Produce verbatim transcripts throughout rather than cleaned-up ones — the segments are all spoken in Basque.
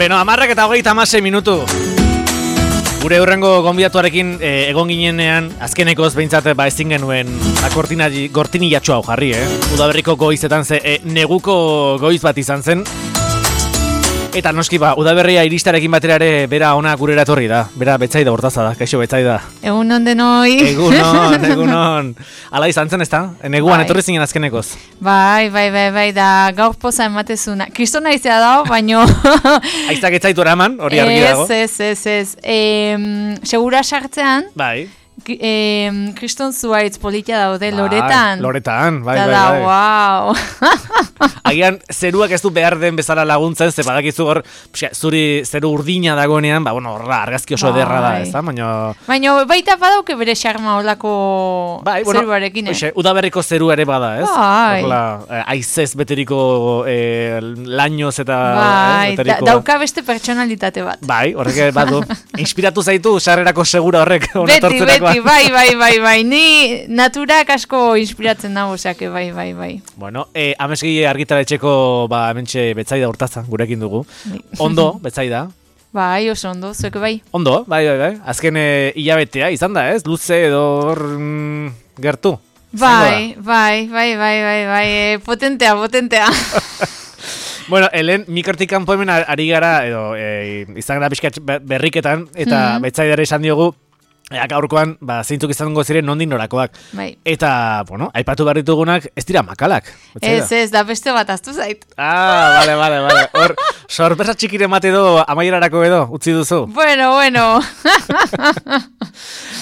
Beno, amarrak eta hogeita hamasei minutu. Gure hurrengo gonbidatuarekin eh, egon ginenean, azkenekoz behintzat ba ezin genuen gortinilatxo hau jarri, eh? Udaberriko goizetan ze eh, neguko goiz bat izan zen. Eta noski ba, udaberria iristarekin batera ere bera ona gurera etorri da. Bera Betsaida Hortaza da, kaixo Betsaida. Egunon denoi. Egunon, egunon. Ala izan zen, ezta? Neguan bai. Etorri zinen azkenekoz. Bai, bai, bai, bai, da gaur poza ematezuna. Kristona izea dago, baino... Aiztak etzaitu eraman, hori argi dago. Ez, ez, ez, ez. E, segura sartzean... Bai. Eh, Kriston zuaitz politia daude, bai, Loretan. Loretan, bai, da, bai, bai. Wow. Agian, zeruak ez du behar den bezala laguntzen, ze badakizu hor, zuri zeru urdina dagoenean, ba, bueno, horra, argazki oso ederra da, ez da, baina... Baina, baita badauke bere xarma olako bai, bueno, zeruarekin, eh? Oixe, udaberriko zeru ere bada, ez? Bai. Horla, aizez beteriko eh, lainoz eta... Bai, eh, beteriko, da, dauka beste pertsonalitate bat. Bai, horrek badu. Inspiratu zaitu, sarrerako segura horrek. Beti, beti. Bai, bai, bai, bai, ni naturak asko inspiratzen dago, osake, bai, bai, bai. Bueno, eh, amesgi argitaletxeko, ba, hementxe Betsaida Hortaza, gurekin dugu. Bai. Ondo, Betsaida. Bai, oso ondo, zuek bai. Ondo, bai, bai, bai. Azken eh, hilabetea izan da, ez? Luze edo hor mm, gertu. Bai, bai, bai, bai, bai, bai, eh, potentea, potentea. Bueno, helen mikortik kanpo hemen ari gara, edo eh, izan gara pixkat berriketan, eta mm-hmm. Betsaidara esan diogu, Ea, gaurkoan, ba, zeintzuk izango ziren nondik norakoak. Bai. Eta, bueno, aipatu behar ditugunak, ez dira makalak. Ez, ez, da beste bat aztu zait. Ah, bale, bale, bale. Hor, sorpresa txikire mate edo, amaierarako edo, utzi duzu. Bueno, bueno.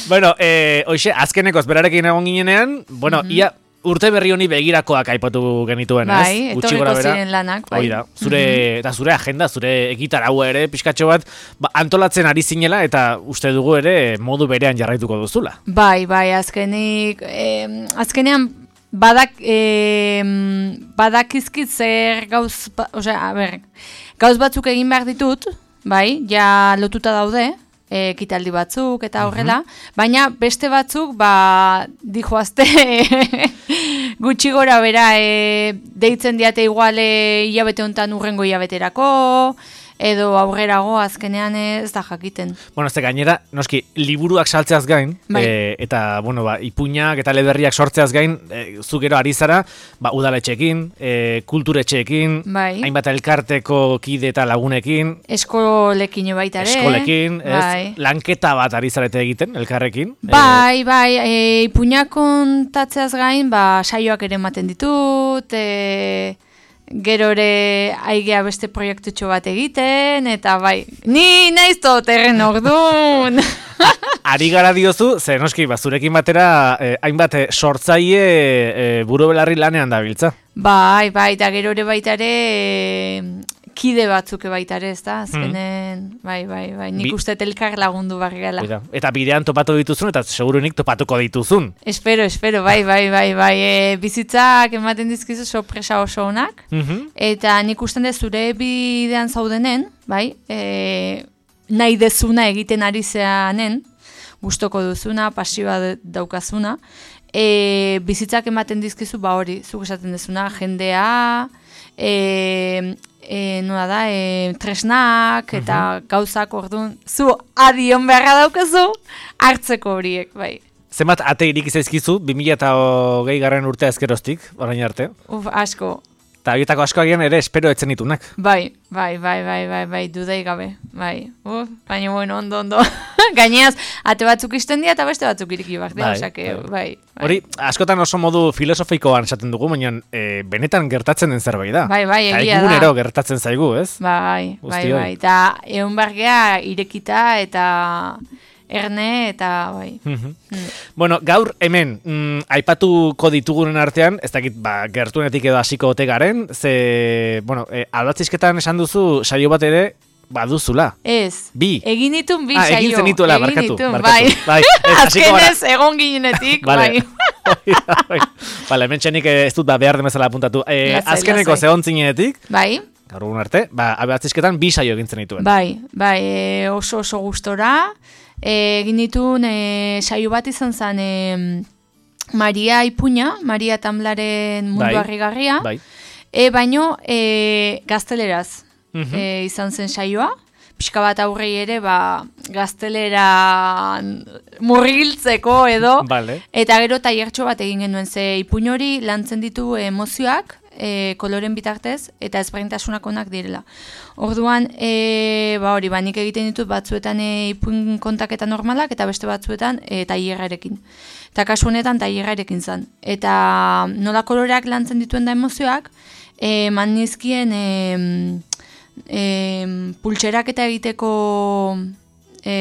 Bueno, eh, oixe, azkenekoz berarekin egon ginenean, bueno, mm-hmm. ia... Urte berri honi begirakoak aipatu genituen, bai, ez? Bai, etorriko ziren lanak, bai. Oida, zure, mm-hmm. eta zure agenda, zure egitaragua ere, pixkatxo bat, ba, antolatzen ari zinela, eta uste dugu ere modu berean jarraituko duzula. Bai, bai, azkenik, eh, azkenean badak, eh, badakizkit zer gauz, osea, a ber, gauz batzuk egin behar ditut, bai, ja lotuta daude, ekitaldi batzuk eta horrela, mm-hmm. baina beste batzuk, ba, dijoazte gutxi gora bera, e, deitzen diate igual hilabete honetan urrengo hilabeterako, edo aurrerago azkenean ez da jakiten. Bueno, ez da gainera, noski, liburuak saltzeaz gain, bai. e, eta, bueno, ba, ipuinak eta leberriak sortzeaz gain, e, zu gero ari zara, ba, udaletxeekin, e, kulturetxeekin, bai. hainbat elkarteko kide eta lagunekin, eskolekin baita ere, eskolekin, ez, bai. lanketa bat ari zarete egiten, elkarrekin. Bai, e, bai, e, ipuinak kontatzeaz gain, ba, saioak ere ematen ditut, e, gero ere aigea beste proiektutxo bat egiten, eta bai, ni naiz toterren ordun. Ari gara diozu, ze noski, ba, zurekin batera, eh, hainbat eh, sortzaile eh, buru belarri lanean dabiltza. Bai, bai, eta gero ere baita ere eh, kide batzuk baita ere, ez da, azkenen, mm. bai, bai, bai, nik Bi... uste elkar lagundu barri gala. Eta bidean topatu dituzun, eta segurunik topatuko dituzun. Espero, espero, bai, bai, bai, bai, e, bizitzak ematen dizkizu sorpresa oso honak, mm-hmm. eta nik usten dez zure bidean zaudenen, bai, e, nahi dezuna egiten ari zeanen, gustoko duzuna, pasioa daukazuna, e, bizitzak ematen dizkizu, ba hori, zuk esaten dezuna, jendea, e, E, nola da, e, tresnak eta uh-huh. gauzak orduan, zu adion beharra daukazu, hartzeko horiek, bai. Zenbat ate irik zaizkizu, bi mila hogei garren urtea ezkeroztik, orain arte? Uf, asko. Eta horietako asko agian ere espero etzen ditunak. Bai, bai, bai, bai, bai, bai, dudai gabe, bai. Uf, baina bueno, ondo, ondo. Gaineaz, ate batzuk izten dira eta beste batzuk iriki barte, bai, osake, bai. bai, bai. Hori, askotan oso modu filosofikoan esaten dugu, baina e, benetan gertatzen den zerbait da. Bai, bai, egia da. Egunero gertatzen zaigu, ez? Bai, bai, bai, eta egun bargea irekita eta... erne eta bai. Mm-hmm. Mm. Bueno, gaur hemen mm, aipatuko ditugunen artean, ez dakit ba, gertunetik edo hasiko ote garen, ze, bueno, e, albatzizketan esan duzu saio bat ere baduzula. Ez. Bi. Egin ditun bi ah, saio. Egin zenituela, egin barkatu. Ditun, barkatu. Bai. bai. Azkenez, egon ginenetik, vale. bai. Bale, hemen txenik ez dut ba, behar demezala apuntatu. E, lasai, azkeneko lasai. Zehon zinenetik. Bai. Gaur egun arte, ba, albatzizketan bi saio egin zenituen. Bai, bai, e, oso oso gustora. Egin ditun e, saio bat izan zen e, Maria Ipuña, Maria Tamlaren mundu bai, harrigarria, bai. E, baino e, gazteleraz. mm-hmm. e, izan zen saioa, pixka bat aurrei ere, ba, gaztelera murgiltzeko edo, vale. Eta gero tailertxo bat egin genuen, ze ipuin hori lantzen ditu emozioak, e, koloren bitartez, eta ezberdintasunak onak direla. Orduan, e, ba hori, ba, nik egiten ditut batzuetan e, ipuin kontaketa normalak, eta beste batzuetan e, tailerrarekin. Eta kasu honetan tailerrarekin zen. Eta nola koloreak lantzen dituen da emozioak, e, man nizkien e, e, pultserak eta egiteko e,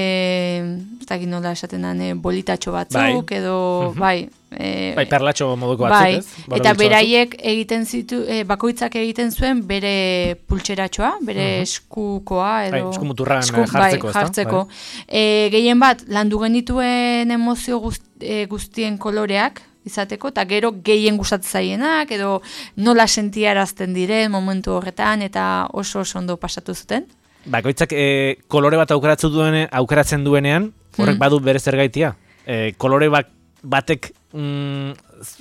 ez dakit nola esaten den, e, bolitatxo batzuk, bai. Edo, uh-huh. bai, E, bai, perlatxo moduko batzuk, bai, ez? Bai, eta beraiek egiten zitu, e, bakoitzak egiten zuen bere pultseratxoa, bere uh-huh. eskukoa, edo... Bai, eskumuturran esku, jartzeko, bai, jartzeko. Bai. E, gehien bat, landu genituen emozio guzt, e, guztien koloreak, izateko, eta gero gehien gustatzen zaienak, edo nola sentiarazten diren momentu horretan, eta oso oso ondo pasatu zuten. Bakoitzak e, kolore bat aukeratzen, duene, aukeratzen duenean, horrek hmm. badu bere zergaitia. E, kolore bat batek mm,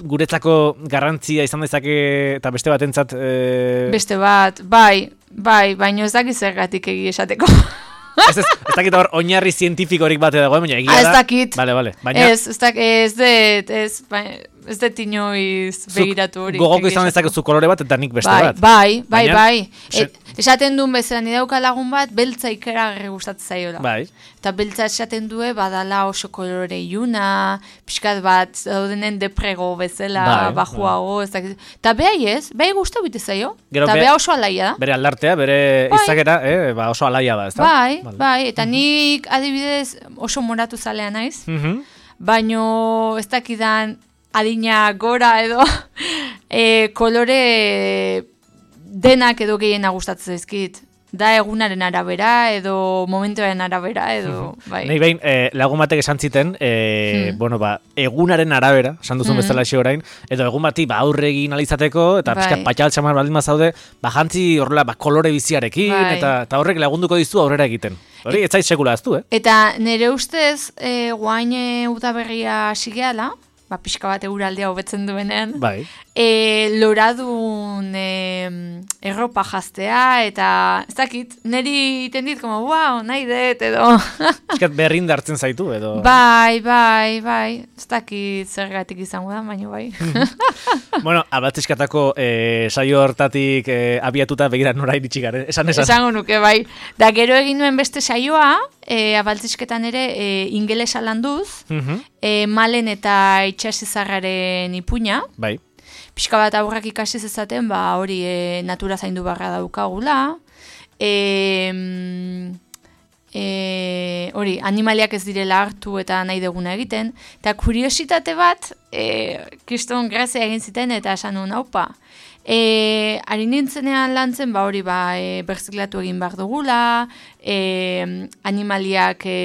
guretzako garrantzia izan dezake eta beste batentzat e... beste bat, bai, bai, baino ez dakit zergatik egi esateko. ez, ez, ez dakit hor oinarri zientifikorik bate dago, baina egia da. Ez dakit. Vale, vale. Baina... Ez, ez dakit, ez det, ez, baina... Ez dut inoiz begiratu hori. Gogoko izan dezakezu kolore bat eta nik beste bai, bat. Bai, bai, baina, bai. Et, esaten duen bezala, nire dauka lagun bat, beltza ikera gerri gustatzen zaiola. Bai. Eta beltza esaten due, badala oso kolore iuna, pixkat bat, daudenen deprego bezala, bai, bajuago, bai. Ez dakit. Eta behai ez, behai guztu bite zaio. Eta beha oso alaia da. Bere aldartea, bere bai. Izakera, eh, ba oso alaia da, ez da? Bai, vale. Bai, eta nik adibidez oso moratu zalea naiz, uh-huh. baino ez dakidan adina gora edo e, kolore denak edo gehiena gustatzen zaizkit. Da egunaren arabera edo momentuaren arabera edo bai. Nei behin eh, lagun batek esan ziten, eh, hmm. bueno, ba, egunaren arabera, esan duzun hmm. bezala xe orain, edo egun bati ba aurre egin alizateko eta bai. Pixkat patxaltxamar baldin bazaude, ba jantzi horrela ba kolore biziarekin bai. eta eta horrek lagunduko dizu aurrera egiten. Hori ez zait sekula aztu, eh? Eta nire ustez, eh, guain udaberria sigeala, ba, pixka bat euraldea hobetzen duenean, bai. e, loradun e, erropa jaztea, eta ez dakit, niri iten dit, como, wow, nahi dut, edo... Piskat berrin dartzen zaitu, edo... Bai, bai, bai, ez dakit zergatik izango da, baina bai. Bueno, abatizkatako e, saio hortatik e, abiatuta begira nora iritsi garen, esan esan. Esango nuke, bai. Da, gero egin nuen beste saioa, e, abaltzisketan ere e, ingelesa landuz, uh-huh. e, malen eta itxasizarraren ipuña. Bai. Pixka bat aurrak ikasi zezaten, ba, hori e, natura zaindu barra daukagula. E, e, hori, animaliak ez direla hartu eta nahi deguna egiten. Eta kuriositate bat, e, kriston grazia egin ziten eta esan nuen, haupa. E, ari nintzenean lantzen, ba hori, ba, e, berziklatu egin behar dugula, e, animaliak e,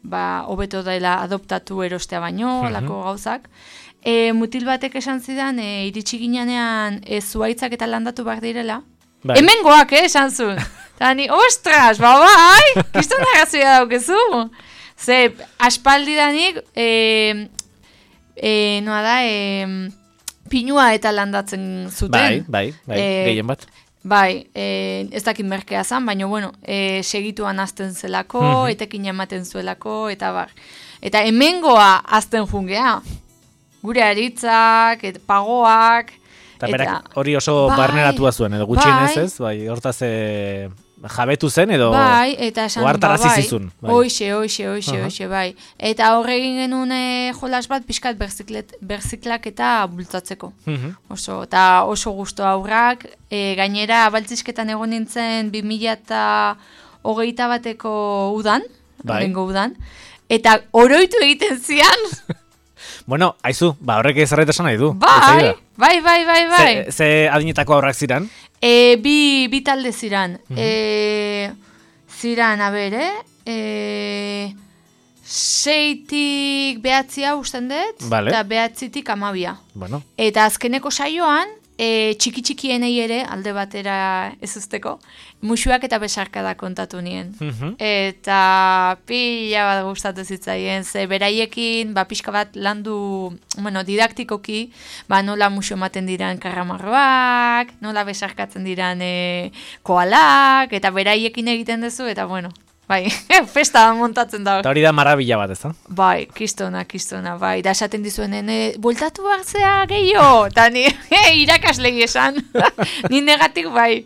ba, hobeto dela adoptatu erostea baino, uh-huh. lako gauzak. E, mutil batek esan zidan, e, iritsi ginean e, zuaitzak eta landatu behar direla. Bai. Hemengoak, eh, esan zuen. Eta ni, ostras, ba bai, kiston arrazoia daukezu. Ze, aspaldi danik, e, e, noa da, e, pinua eta landatzen zuten. Bai, bai, bai, e, gehien bat. Bai, e, ez dakit merkea zan, baina, bueno, e, segituan azten zelako, uh-huh. etekin ematen zuelako, eta bar. Eta hemengoa azten jungea. Gure aritzak, et, pagoak. Eta berak hori oso bai, barneratua zuen, edo gutxienez ez, bai, hortaz e, jabetu zen, edo bai, eta esan, ohartarazi bai, zizun. Bai. Oixe, oixe, oixe, uh-huh. oixe, bai. Eta horregin genuen e, jolas bat pixkat berziklak eta bultzatzeko. Uh-huh. Oso, eta oso gusto aurrak, e, gainera baltzisketan egon nintzen bi mila eta hogeita bateko udan, bai. Rengo udan, eta oroitu egiten zian. Bueno, aizu, ba horrek ezarreta esan nahi du. Bai, bai, bai, bai, bai. Ze, ze adinetako aurrak ziran? E, bi, bi talde ziran. Uh-huh. E, ziran, a ber, eh? E, seitik behatzia usten dut, vale. Eta behatzitik amabia. Bueno. Eta azkeneko saioan, e, txiki-txikienei ere, alde batera ez usteko, musuak eta besarkada kontatu nien. Mhm. Eta pila bat gustatu zitzaien, ze beraiekin, ba, pixka bat landu, bueno, didaktikoki, ba, nola musu ematen diran karramarroak, nola besarkatzen diran e, koalak, eta beraiekin egiten duzu, eta bueno, bai, festa montatzen da. Eta hori da marabila bat, ez da? Bai, kistona, kistona, bai, da esaten dizuenen, e, bultatu hartzea gehiago, eta ni e, irakaslei esan, ni negatik bai.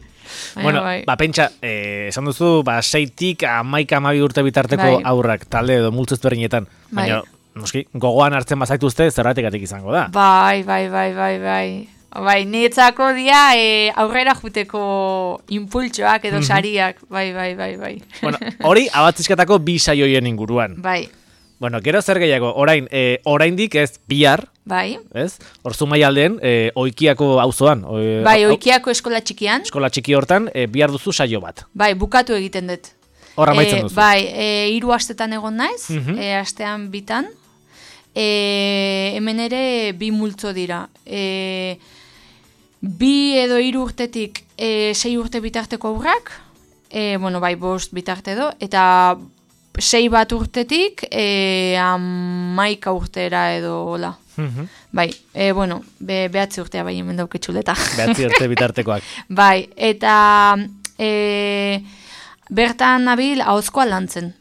Baina, Bueno, bai. ba, pentsa, eh, esan duzu, ba, seitik amaika amabi urte bitarteko Bai. aurrak, talde edo multzu ezberdinetan. Bai. Baina, noski, gogoan hartzen bazaituzte, zerratikatik izango da. Bai, bai, bai, bai, bai. Bai, niretzako dia e, aurrera juteko impultsoak edo sariak, bai, bai, bai, bai. Bueno, hori abatzizkatako bi saioien inguruan. Bai, Bueno, gero zer gehiago, orain, eh, oraindik ez bihar, bai. ez? Hor Zumaialdeen, eh, Oikiako auzoan. eh, Bai, au- Oikiako eskola txikian, Eskola txiki hortan, eh, bihar duzu saio bat. bai, bukatu egiten dut. Hor amaitzen E, duzu. bai, e, hiru astetan egon naiz, Mhm. e, astean bitan. E, hemen ere bi multzo dira. E, bi edo hiru urtetik e, sei urte bitarteko aurrak, e, bueno, bai, bost bitarte edo, eta sei bat urtetik e, amaika urtera edo hola. Mhm. Bai, e, bueno, be, behatzi urtea bai hemen dauketxuleta. Behatzi urte bitartekoak. Bai, eta e, bertan nabil ahozkoa lantzen.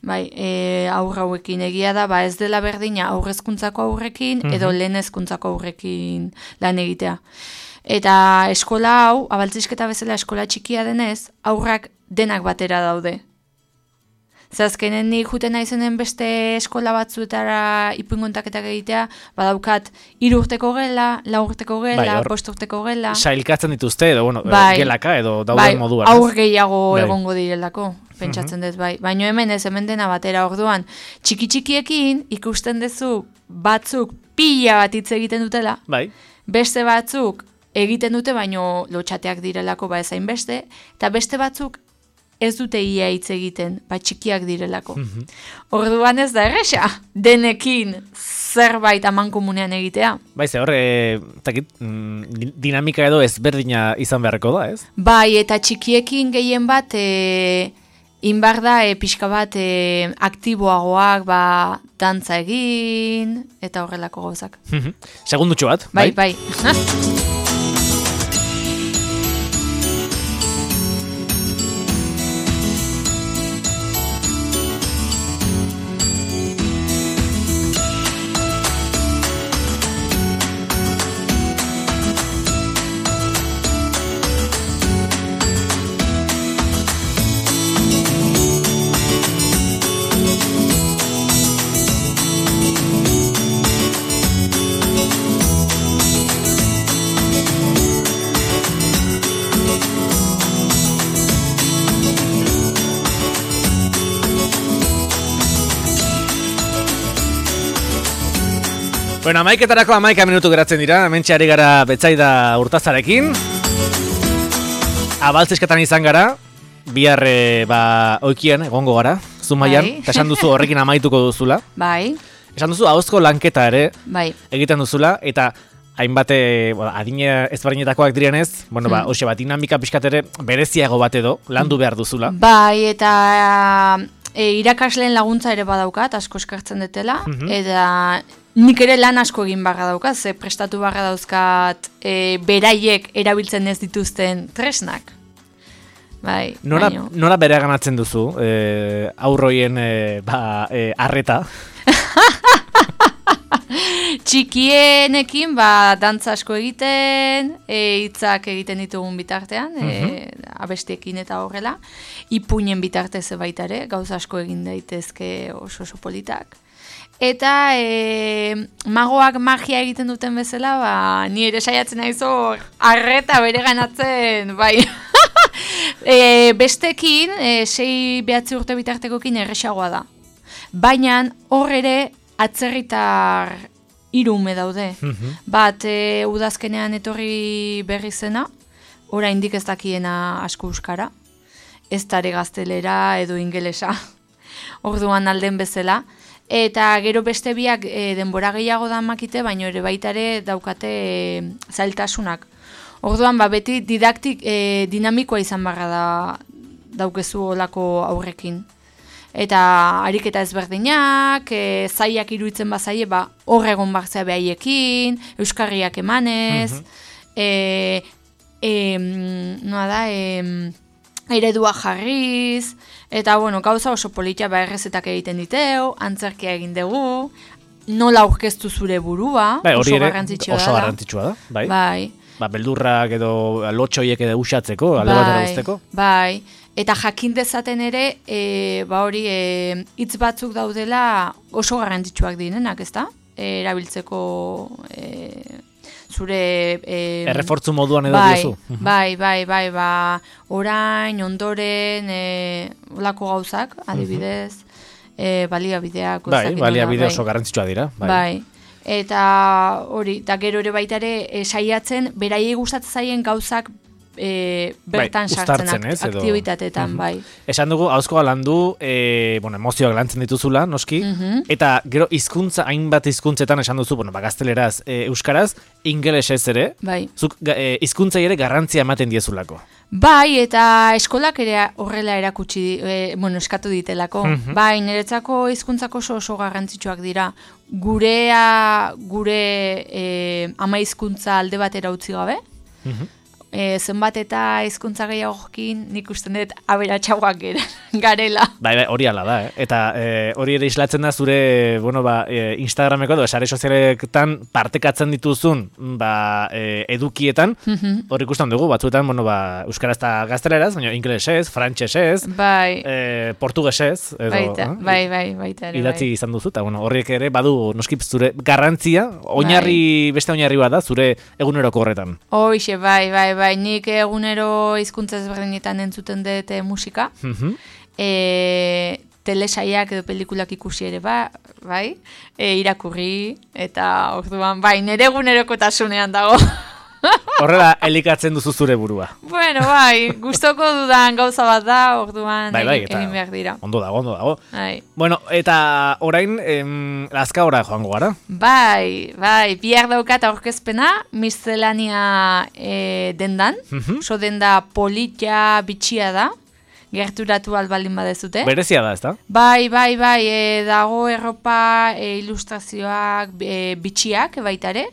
Bai, e, aurra hauekin egia da, ba ez dela berdina aurrezkuntzako aurrekin edo lehen hezkuntzako aurrekin lan egitea. Eta eskola hau, abaltzisketa bezala eskola txikia denez, aurrak denak batera daude. Zazkenen nik juten naizenen beste eskola batzuetara ipuingontaketak egitea, badaukat hiru urteko gela, lau urteko gela, Bai, hor- bost urteko gela. Sailkatzen dituzte, edo, bueno, Bai. gelaka, edo dauden Bai, moduan. ez? aur gehiago Bai. egongo direlako, pentsatzen dut, bai. Baina hemen ez, hemen dena batera orduan. Txiki-txikiekin ikusten duzu batzuk pila bat hitz egiten dutela, Bai. beste batzuk egiten dute, baino lotxateak direlako ba ezain beste, eta beste batzuk ez dute ia hitz egiten, ba txikiak direlako. Orduan ez da erresa, denekin zerbait amankomunean egitea. Bai, ze hor, e, takit, mm, di- dinamika edo ezberdina izan beharreko da, ez? Bai, eta txikiekin gehien bat, e, inbar da, e, pixka bat e, aktiboagoak, ba, dantza egin, eta horrelako gauzak. Segundutxo bat, Bai, bai. Bueno, amaiketarako amaika minutu geratzen dira, hementxe ari gara Betsaida Urtazarekin. Abaltzesketan izan gara, bihar e, ba, oikian egongo gara, Zumaian, Bai. eta esan duzu horrekin amaituko duzula. Bai, Esan duzu ahozko lanketa ere bai. egiten duzula, eta hainbat e, bueno, adine ezberdinetakoak direnez, bueno, ba, hoxe bat, dinamika pixkat ere bereziago bat edo, landu behar duzula. Bai, eta e, irakasleen laguntza ere badaukat, asko eskartzen dutela, eta nik ere lan asko egin barra daukat, ze prestatu barra dauzkat e, beraiek erabiltzen ez dituzten tresnak. Bai, Nora, baino. nora bere ganatzen duzu, e, aurroien e, ba, e, arreta? Txikienekin, ba, dantza asko egiten, e, hitzak egiten ditugun bitartean, e, abestiekin eta horrela, ipuinen bitartez baita ere, gauza asko egin daitezke oso oso politak. Eta e, magoak magia egiten duten bezala, ba, ni ere saiatzen naiz hor arreta bere ganatzen, bai. e, bestekin, e, sei behatzi urte bitartekokin erresagoa da. Baina hor ere atzerritar hiru ume daude. Bat e, udazkenean etorri berri zena, oraindik ez dakiena asko euskara, ez tare gaztelera edo ingelesa. Orduan alden bezala. Eta gero beste biak e, denbora gehiago da makite, baina ere baitare daukate e, zailtasunak. Orduan, ba, beti didaktik e, dinamikoa izan barra da daukezu olako aurrekin. Eta ariketa ezberdinak, e, zaiak iruditzen bazaie, ba, hor egon barzea behaiekin, euskarriak emanez, mm-hmm. e, e, noa da, e, eredua jarriz, eta, bueno, gauza oso politia ba errezetak egiten diteu, antzerkia egin dugu, nola aurkeztu zure burua, bai, oso ere, garrantzitsua oso da. garrantzitsua da, bai. Bai. Ba, beldurrak edo lotxoiek edo usatzeko, alde batera usteko. Bai, eta jakin dezaten ere, e, ba hori, e, hitz batzuk daudela oso garrantzitsuak direnak, ezta? E, erabiltzeko e, zure... E, errefortzu moduan edo bai, diozu. Bai, bai, bai, ba, orain, ondoren, e, olako gauzak, adibidez, e, baliabideak. Bai, baliabide oso garrantzitsua dira. Bai. bai. Eta hori, eta gero ere baita ere e, saiatzen, beraiei gustatzen zaien gauzak e, bertan bai, sartzen ez, edo... aktibitateetan, uh-huh. bai. Esan dugu, hauzkoa landu, e, bueno, emozioak lantzen dituzula, noski, uh-huh. eta gero hizkuntza hainbat hizkuntzetan esan duzu, bueno, ba, gazteleraz, e, euskaraz, ingelesez ere, bai. zuk e, hizkuntzai ere garrantzia ematen diezulako. Bai, eta eskolak ere horrela erakutsi, e, bueno, eskatu ditelako. Uh-huh. Bai, niretzako hizkuntzako oso oso garrantzitsuak dira. Gurea, gure e, ama hizkuntza alde batera utzi gabe. Uh-huh. E, zenbat eta hizkuntza gehiagokin nik usten dut aberatsagoak garela. Bai, bai, hori ala da, eh? Eta e, hori ere islatzen da zure, bueno, ba, e, Instagrameko edo sare sozialetan partekatzen dituzun, ba, e, edukietan, mm-hmm. hori ikusten dugu, batzuetan, bueno, ba, euskaraz eta gazteleraz, baina ingelesez, frantsesez, bai. e, portugesez, edo, baita, eh? bai, bai, baita ere, idatzi bai. izan duzu, eta, bueno, horriek ere badu noskip zure garrantzia, oinarri, bai. Beste oinarri bat da, zure eguneroko horretan. Hoixe, bai, bai, bai, nik egunero hizkuntza ezberdinetan entzuten dut musika, mm-hmm. e, telesaiak edo pelikulak ikusi ere ba, bai, e, irakurri, eta orduan, bai, nire egunerokotasunean dago. Horrela elikatzen duzu zure burua. Bueno, bai, gustoko dudan gauza bat da, orduan bai, bai, egin behar dira. Ondo dago, ondo dago. Bai. Bueno, eta orain, em, Lazkaora joango gara? Bai, bai, bihar daukat aurkezpena, miscelania e, dendan, mm-hmm. so denda politia bitxia da, gerturatu albaldin badezute. Berezia da, ezta? Bai, bai, bai, e, dago erropa, e, ilustrazioak, e, bitxiak baitare.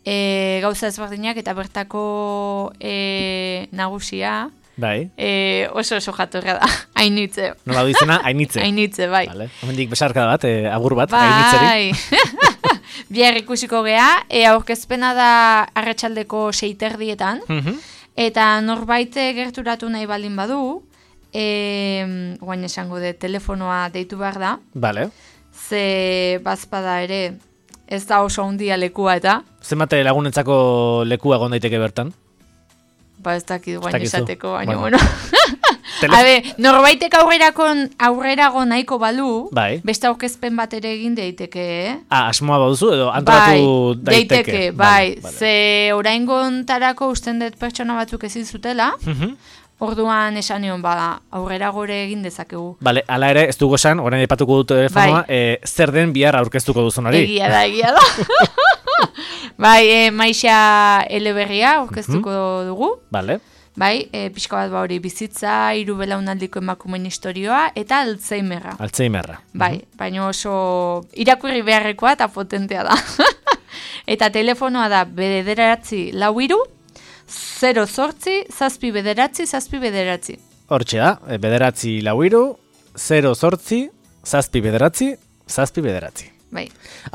E, gauza ezberdinak eta bertako e, nagusia bai. e, oso oso jatorra da, Ainitze. Nola du izena, Ainitze. Ainitze, bai. Vale. Hemendik besarka bat, e, agur bat, bai. Ainitzeri. Bihar ikusiko gea, e, aurkezpena da arratsaldeko seiterdietan, mm-hmm. eta norbait gerturatu nahi baldin badu, e, guain esango de telefonoa deitu behar da, vale. Ze bazpada ere, ez da oso handia lekua eta. Zenbate lagunentzako lekua egon daiteke bertan? Ba ez dakit guain esateko, baina bueno. bueno. Telef... Habe, norbaitek aurrerago nahiko balu, bai. Beste aurkezpen bat ere egin daiteke, eh? Ah, asmoa baduzu edo antolatu bai, daiteke? daiteke, bai. Vale, vale. Ze oraingontarako usten dut pertsona batzuk ezin zutela, mm-hmm. Orduan esan nion, ba, aurrera gore egin dezakegu. Bale, ala ere, ez dugu esan, orain aipatuko dut telefonoa, bai. e, zer den bihar aurkeztuko duzunari. Egia da, egia da. Bai, e, Maixa Eleberria aurkeztuko mm-hmm. dugu. Bale. Bai, e, pixka bat ba hori bizitza, hiru belaunaldiko emakumeen historioa, eta Alzheimerra. Alzheimerra. Bai, mm-hmm. baina oso irakurri beharrekoa eta potentea da. Eta telefonoa da bederatzi lau hiru, zero zortzi, zazpi bederatzi, zazpi bederatzi. Hortxe da, bederatzi lau hiru, zero zortzi, zazpi bederatzi, zazpi bederatzi. Bai.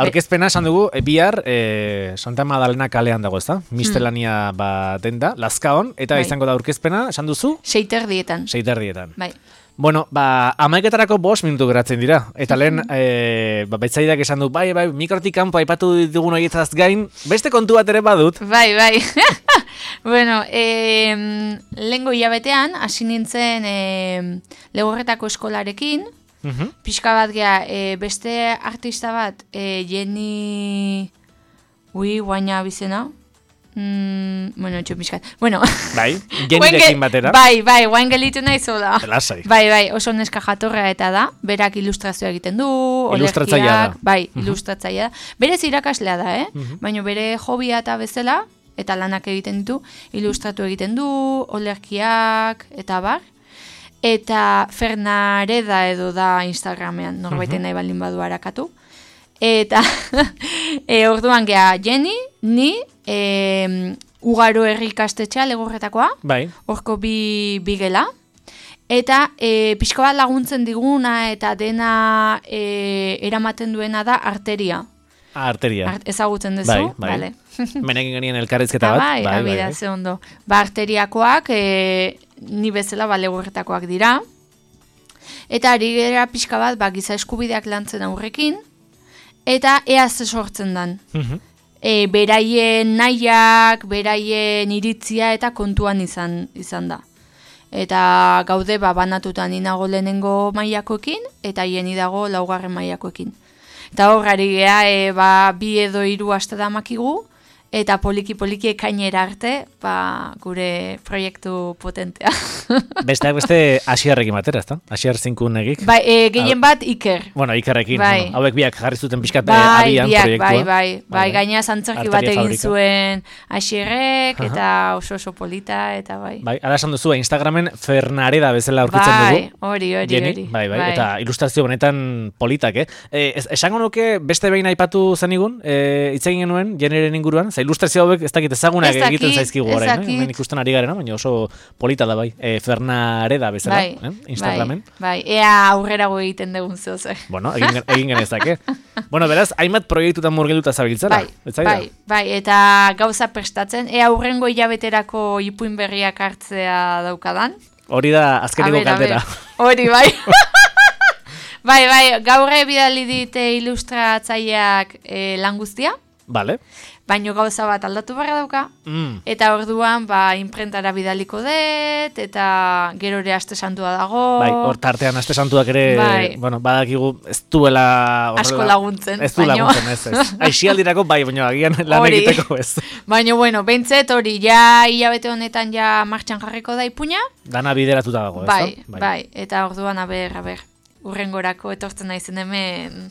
Aurkezpena esan dugu, e, bihar e, Santa Madalena kalean dago, ezta? Mistelania hmm. ba denda, Lazkaon, eta bai. Izango da aurkezpena, esan duzu? Seiterdietan. Seiterdietan. Bai. Bueno, ba, amaiketarako bost minutu geratzen dira. Eta lehen, e, ba, baitzaidak esan du, bai, bai, mikrotik kanpo aipatu ditugun horietaz gain, beste kontu bat ere badut. Bai, bai. Bueno, e, lehengo hilabetean, hasi nintzen e, Legorretako eskolarekin, uh-huh. Pixka bat gea, e, beste artista bat, e, Jenny... Ui, guaina bizena, Mm, bueno, etxo pixkat. Bueno. Bai, Jenirekin batera. Bai, bai, guain gelitu nahi zola. Lasai. Bai, bai, oso neska jatorra eta da. Berak ilustrazioa egiten du. Ilustratzailea da. Bai, uh-huh. ilustratzailea da. Berez irakaslea da, eh? Uh-huh. Baina bere hobia eta bezala, eta lanak egiten ditu, ilustratu egiten du, olerkiak, eta bar. Eta Fernareda edo da Instagramean, norbaiten uh-huh. nahi baldin badu harakatu. Eta e, orduan geha Jenny, ni, e, Ugaro herri ikastetxea legorretakoa, bai. Horko bi, bi gela. Eta e, pixko bat laguntzen diguna eta dena e, eramaten duena da arteria. Ah, arteria. Art, ezagutzen duzu, bai, bai. Vale. Menekin genien elkarrizketa bat. Bai, bai, bai, bai. Ze ondo. Ba, arteriakoak, e, ni bezala ba, legorretakoak dira. Eta ari gera pixka bat, ba, giza eskubideak lantzen aurrekin, eta ea ze sortzen dan. Uh-huh. E, beraien nahiak, beraien iritzia eta kontuan izan izan da. Eta gaude ba, banatutan inago lehenengo mailakoekin, eta hieni dago laugarren mailakoekin. Eta horrari geha, e, ba, bi edo hiru aste da makigu, eta poliki-poliki ekainera arte, ba, gure proiektu potentea. Besteak beste Asiarrekin batera, ezta? Asiar zinkunegik. Bai, e, gehien bat Iker. Bueno, Ikerrekin. Bai. Bueno, hauek biak jarri zuten pixkat bai, abian biak, proiektua. Bai, bai, bai. bai gaina zantzerki bat egin fabrika. Zuen Asierrek, eta oso oso polita, eta bai. Bai, ala esan duzu, Instagramen Fernareda bezala aurkitzen bai, dugu. Bai, hori, hori, hori. Bai, bai, eta ilustrazio benetan politak, eh? E, es, esango nuke beste behin aipatu zenigun, e, hitz egin genuen, generen inguruan, za ilustrazio hauek ez dakit ezagunak ez egiten zaizkigu orain, eh? Hemen ikusten ari garena, baina oso polita da bai. E, Fernareda bezala, bai, eh? Instagramen. Bai, bai, ea aurrerago egiten dugun zehozer. Bueno, egin, egin genezake. Bueno, beraz, hainbat proiektutan murgilduta zabiltzara. Bai, bai, bai, eta gauza prestatzen, ea aurrengo hilabeterako ipuin berriak hartzea daukadan. Hori da azkeneko kaldera. Hori, bai. Bai, bai, gaurre bidali dite ilustratzaileak e, lan guztia. Vale. Baino gauza bat aldatu barra dauka, mm. eta orduan ba, imprentara bidaliko dut, eta gero ere aste santua dago. Bai, hor tartean aste santuak ere, bai. Bueno, badakigu ez duela... Horrela, asko laguntzen. Ez du baino... laguntzen, ez, ez. Aixialdirako bai, baina agian lan egiteko ez. Baina, bueno, behintzet hori, ja hilabete honetan ja martxan jarriko da ipuña. Dana bideratuta dago, ez bai, da? Bai, bai, eta orduan, aber, aber, urrengorako etortzen naizen hemen...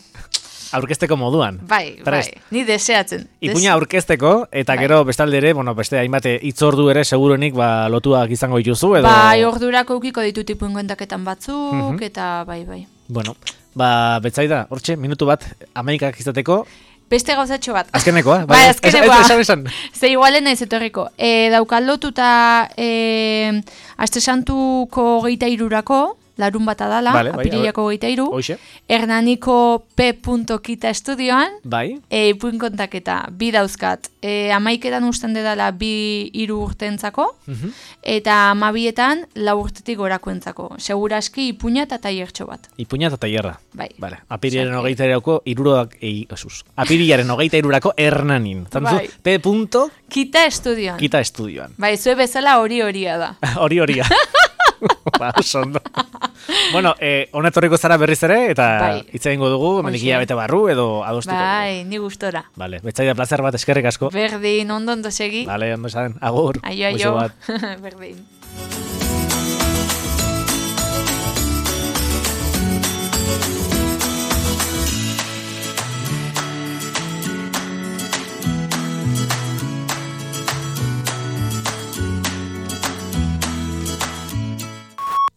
Aurkezteko moduan. Bai, Prest. bai, ni deseatzen. Ipuña aurkezteko, eta bai. Gero bestalde ere, bueno, beste hainbate hitzordu ere seguruenik ba, lotuak izango dituzu, edo... Bai, ordurako ukiko ditut ipuin kontaketan batzuk, uh-huh. eta bai, bai. Bueno, ba, Betsaida, hortxe, minutu bat, amaikak izateko... Beste gauzatxo bat. Azkenekoa, bai, bai azkenekoa. Ez, ez, esan, esan. Ze igualen ez etorriko. E, Daukalotuta e, Aste Santuko geita irurako, larun bat adala, vale, bai, apirilako geita iru, Hernaniko P. Kita estudioan, bai. E, ipuin kontaketa, bi dauzkat. E, amaiketan usten dedala bi iru urtentzako, uh-huh. eta amabietan lau urtetik gorakoentzako. Seguraski ipuña eta tailertxo bat. Ipuña eta tailerra. Bai. Vale. Apirilaren hogeita irurako iruroak, ei, esus. Apirilaren hogeita irurako Hernanin. Zantzu, bai. P. Kita estudioan. Kita estudioan. Bai, zue bezala hori horia da. Hori horia. Ba, sondo. Bueno, eh, onetorriko zara berriz ere, eta bai. Hitz egingo dugu, menikia bete barru, edo adostuko. Bai, ni gustora. Vale, Betsaida, placer bat, eskerrik asko. Berdin, ondo ondo segi. Vale, ondo esan, agur. Aio, aio. Berdin.